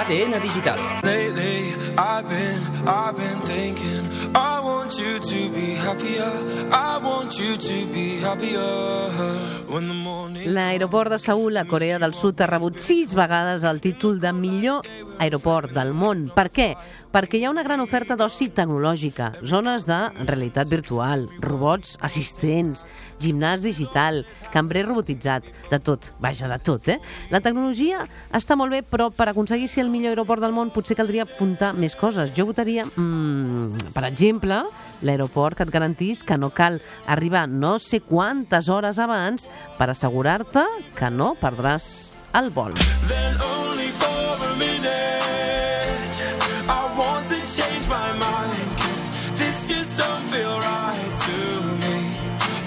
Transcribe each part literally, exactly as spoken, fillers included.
D N Digital. Lately, I've been, I've been thinking, I want you to be happier, I want you to be happier. When the morning... L'aeroport de Seül, a Corea del Sud, ha rebut sis vegades el títol de millor aeroport del món. Per què? Perquè hi ha una gran oferta d'oci tecnològica, zones de realitat virtual, robots assistents, gimnàs digital, cambrer robotitzat, de tot, vaja, de tot, eh? La tecnologia està molt bé, però per aconseguir ser el millor aeroport del món potser caldria apuntar més coses. Jo votaria, mmm, per exemple, l'aeroport que et garantís que no cal arribar no sé quantes hores abans per assegurar-te que no perdràs el vol. Then only for a minute, I want to change my mind, 'cause this just don't feel right to me.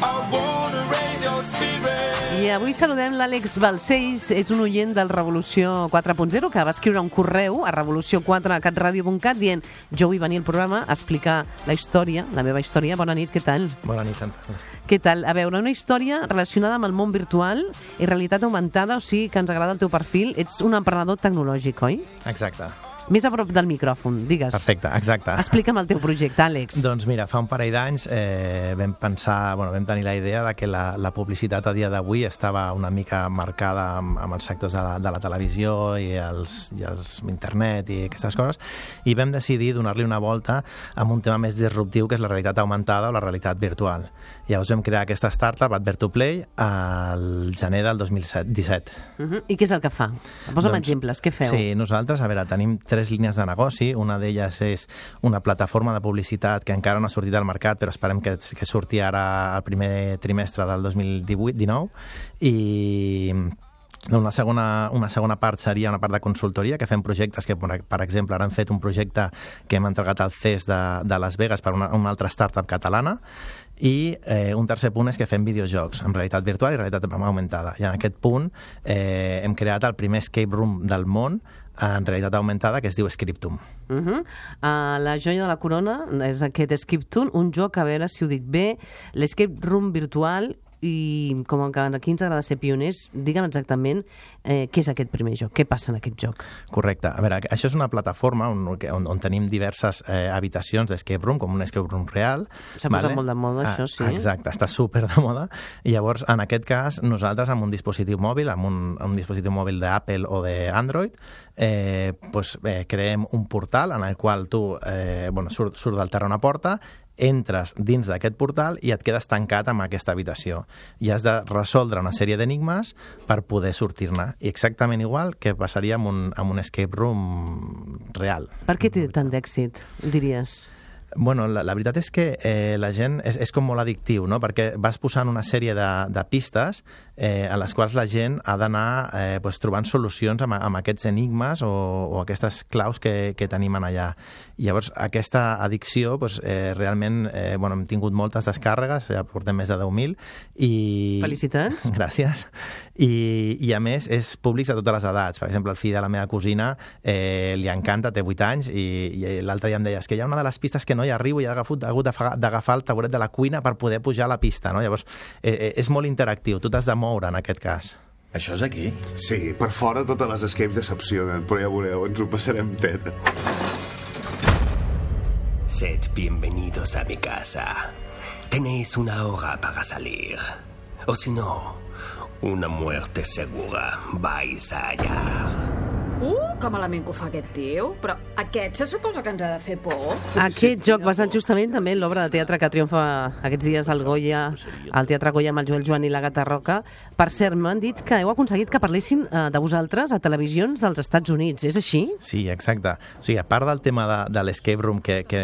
I wanna raise your spirit. I avui saludem l'Àlex Balcells, és un oient del Revolució quatre punt zero que va escriure un correu a revolució quatre cat radio punt cat dient jo vull venir al programa a explicar la història, la meva història. Bona nit, què tal? Bona nit, Santa. Què tal? A veure, una història relacionada amb el món virtual i realitat augmentada, o sigui que ens agrada el teu perfil. Ets un emprenedor tecnològic, oi? Exacte. Més a prop del micròfon, digues. Perfecte, exacte. Explica'm el teu projecte, Àlex. Doncs mira, fa un parell d'anys eh, vam pensar, bueno, vam tenir la idea de que la, la publicitat a dia d'avui estava una mica marcada amb, amb els sectors de la, de la televisió i els, i els internet i aquestes coses, i vam decidir donar-li una volta amb un tema més disruptiu, que és la realitat augmentada o la realitat virtual. Llavors vam crear aquesta startup, Advertoplay, al gener del dos mil disset. Uh-huh. I què és el que fa? Posa'm doncs, exemples, què feu? Sí, nosaltres, a veure, tenim tres línies de negoci. Una d'elles és una plataforma de publicitat que encara no ha sortit al mercat, però esperem que, que surti ara al primer trimestre del dos mil divuit dinou, i una segona, una segona part seria una part de consultoria, que fem projectes que, per exemple, ara hem fet un projecte que hem entregat al C E S de, de Las Vegas per una, una altra startup catalana, i eh, un tercer punt és que fem videojocs en realitat virtual i realitat augmentada. I en aquest punt eh, hem creat el primer escape room del món en realitat augmentada, que es diu Scriptum. Uh -huh. uh, la joia de la corona és aquest Scriptum, un joc, a veure si ho dic bé, l'escape room virtual, i com que aquí ens agrada ser pioners, digue'm exactament eh, què és aquest primer joc, què passa en aquest joc. Correcte. A veure, això és una plataforma on, on, on tenim diverses eh, habitacions d'escape room, com un escape room real. S'ha vale? posat molt de moda, ah, això, sí. Exacte, està super de moda. I llavors, en aquest cas, nosaltres amb un dispositiu mòbil, amb un, un dispositiu mòbil d'Apple o d'Android, eh, pues, eh, creem un portal en el qual tu eh, bueno, surt, surt del terra una porta, entres dins d'aquest portal i et quedes tancat amb aquesta habitació. I has de resoldre una sèrie d'enigmes per poder sortir-ne. I exactament igual que passaria amb un, amb un escape room real. Per què té tant d'èxit, diries? Bueno, la, la veritat és que eh, la gent és, és com molt addictiu, no? Perquè vas posant una sèrie de, de pistes eh, a les quals la gent ha d'anar eh, pues, trobant solucions amb, amb aquests enigmes o, o aquestes claus que, que tenim en allà. I llavors, aquesta addicció, pues, eh, realment, eh, bueno, hem tingut moltes descàrregues, ja portem més de deu mil. I... Felicitats. Gràcies. I, I, a més, és públic de totes les edats. Per exemple, el fill de la meva cosina eh, li encanta, té vuit anys, i, i l'altre dia em deia, és que hi ha una de les pistes que no hi arribo i he hagut, hagut d'agafar el tauret de la cuina per poder pujar a la pista, no? Llavors, eh, és molt interactiu, tu t'has de moure en aquest cas. Això és aquí? Sí, per fora totes les escapes decepcionen, però ja veureu, ens ho passarem teta. Sed bienvenidos a mi casa. Tenéis una hora para salir. O si no, una muerte segura. Vais allá. Uh, que malament que ho fa aquest tio. Però aquest se suposa que ens ha de fer por. Aquest joc basat justament també en l'obra de teatre que triomfa aquests dies al Goya, al Teatre Goya amb el Joel Joan i la Gata Roca. Per cert, m'han dit que heu aconseguit que parlessin eh, de vosaltres a televisions dels Estats Units. És així? Sí, exacte. O sigui, a part del tema de, de l'escape room, que, que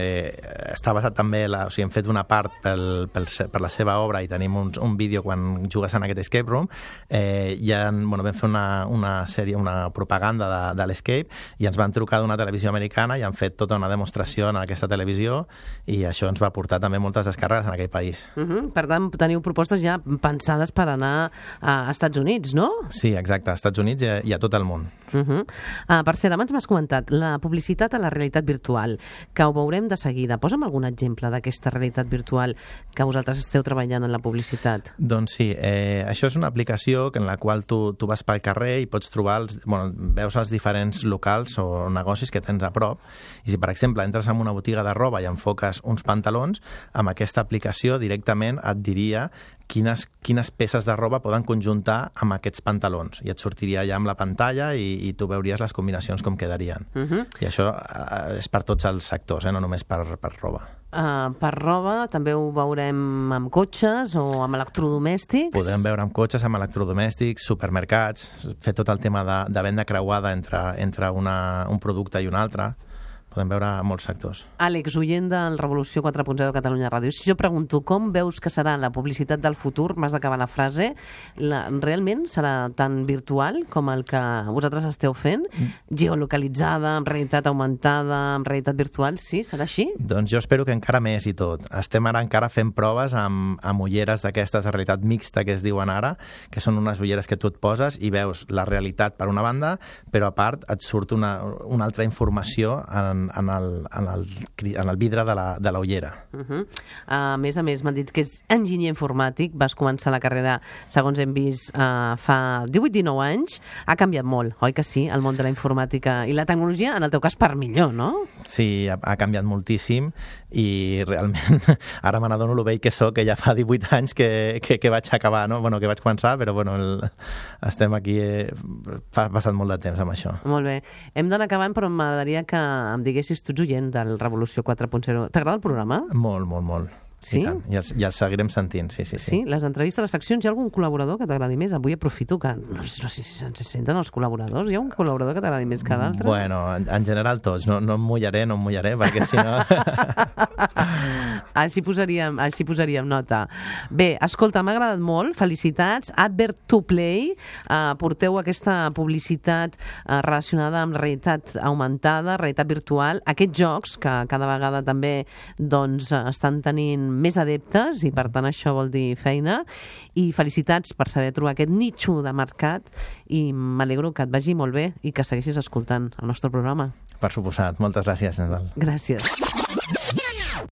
està basat també, la, o sigui, hem fet una part pel, pel, per la seva obra i tenim un, un vídeo quan jugues en aquest escape room, eh, ja, bueno, vam fer una, una sèrie, una propaganda de de l'Escape, i ens van trucar d'una televisió americana i han fet tota una demostració en aquesta televisió, i això ens va portar també moltes descàrregues en aquell país. Uh -huh. Per tant, teniu propostes ja pensades per anar a Estats Units, no? Sí, exacte, a Estats Units i a, i a tot el món. Uh -huh. uh, per cert, abans m'has comentat la publicitat a la realitat virtual, que ho veurem de seguida. Posa'm algun exemple d'aquesta realitat virtual que vosaltres esteu treballant en la publicitat. Doncs sí, eh, això és una aplicació en la qual tu, tu vas pel carrer i pots trobar, els, bueno, veus els diferents locals o negocis que tens a prop. I si, per exemple, entres en una botiga de roba i enfoques uns pantalons, amb aquesta aplicació directament et diria quines, quines peces de roba poden conjuntar amb aquests pantalons. I et sortiria ja amb la pantalla i, i tu veuries les combinacions com quedarien. Uh-huh. I això eh, és per tots els sectors, eh? No només per, per roba. Uh, per roba també ho veurem amb cotxes o amb electrodomèstics? Podem veure amb cotxes, amb electrodomèstics, supermercats, fer tot el tema de, de venda creuada entre, entre una, un producte i un altre. Podem veure molts sectors. Àlex, oient del Revolució quatre punt zero de Catalunya Ràdio, si jo pregunto com veus que serà la publicitat del futur, m'has d'acabar la frase, la, realment serà tan virtual com el que vosaltres esteu fent? Mm. Geolocalitzada, amb realitat augmentada, amb realitat virtual, sí? Serà així? Doncs jo espero que encara més i tot. Estem ara encara fent proves amb, amb ulleres d'aquestes de realitat mixta que es diuen ara, que són unes ulleres que tu et poses i veus la realitat per una banda, però a part et surt una, una altra informació en en el, en el, en el vidre de la, de la ullera. Uh-huh. A més a més, m'han dit que és enginyer informàtic, vas començar la carrera, segons hem vist, uh, fa divuit dinou anys. Ha canviat molt, oi que sí, el món de la informàtica i la tecnologia, en el teu cas, per millor, no? Sí, ha, ha canviat moltíssim i realment ara me n'adono lo vell que soc, que ja fa divuit anys que, que, que vaig acabar, no? Bueno, que vaig començar, però bueno, el, estem aquí, eh, fa passat molt de temps amb això. Molt bé. Hem d'anar acabant, però m'agradaria que em diguessis, tu ets oient del Revolució quatre punt zero. T'agrada el programa? Molt, molt, molt. Sí? I, tant. I, els, I els seguirem sentint, sí, sí, sí. Sí? Les entrevistes, les seccions, hi ha algun col·laborador que t'agradi més? Avui aprofito que no, no sé si se'ns senten els col·laboradors. Hi ha un col·laborador que t'agradi més que d'altre? Bueno, en, en general tots. No, no em mullaré, no em mullaré, perquè si no... així, posaríem, així posaríem nota. Bé, escolta, m'ha agradat molt. Felicitats. Advert to Play. Uh, porteu aquesta publicitat uh, relacionada amb la realitat augmentada, realitat virtual. Aquests jocs que cada vegada també doncs, estan tenint més adeptes i per tant això vol dir feina, i felicitats per saber trobar aquest nitxo de mercat i m'alegro que et vagi molt bé i que segueixis escoltant el nostre programa. Per suposat. Moltes gràcies, Nadal. Gràcies.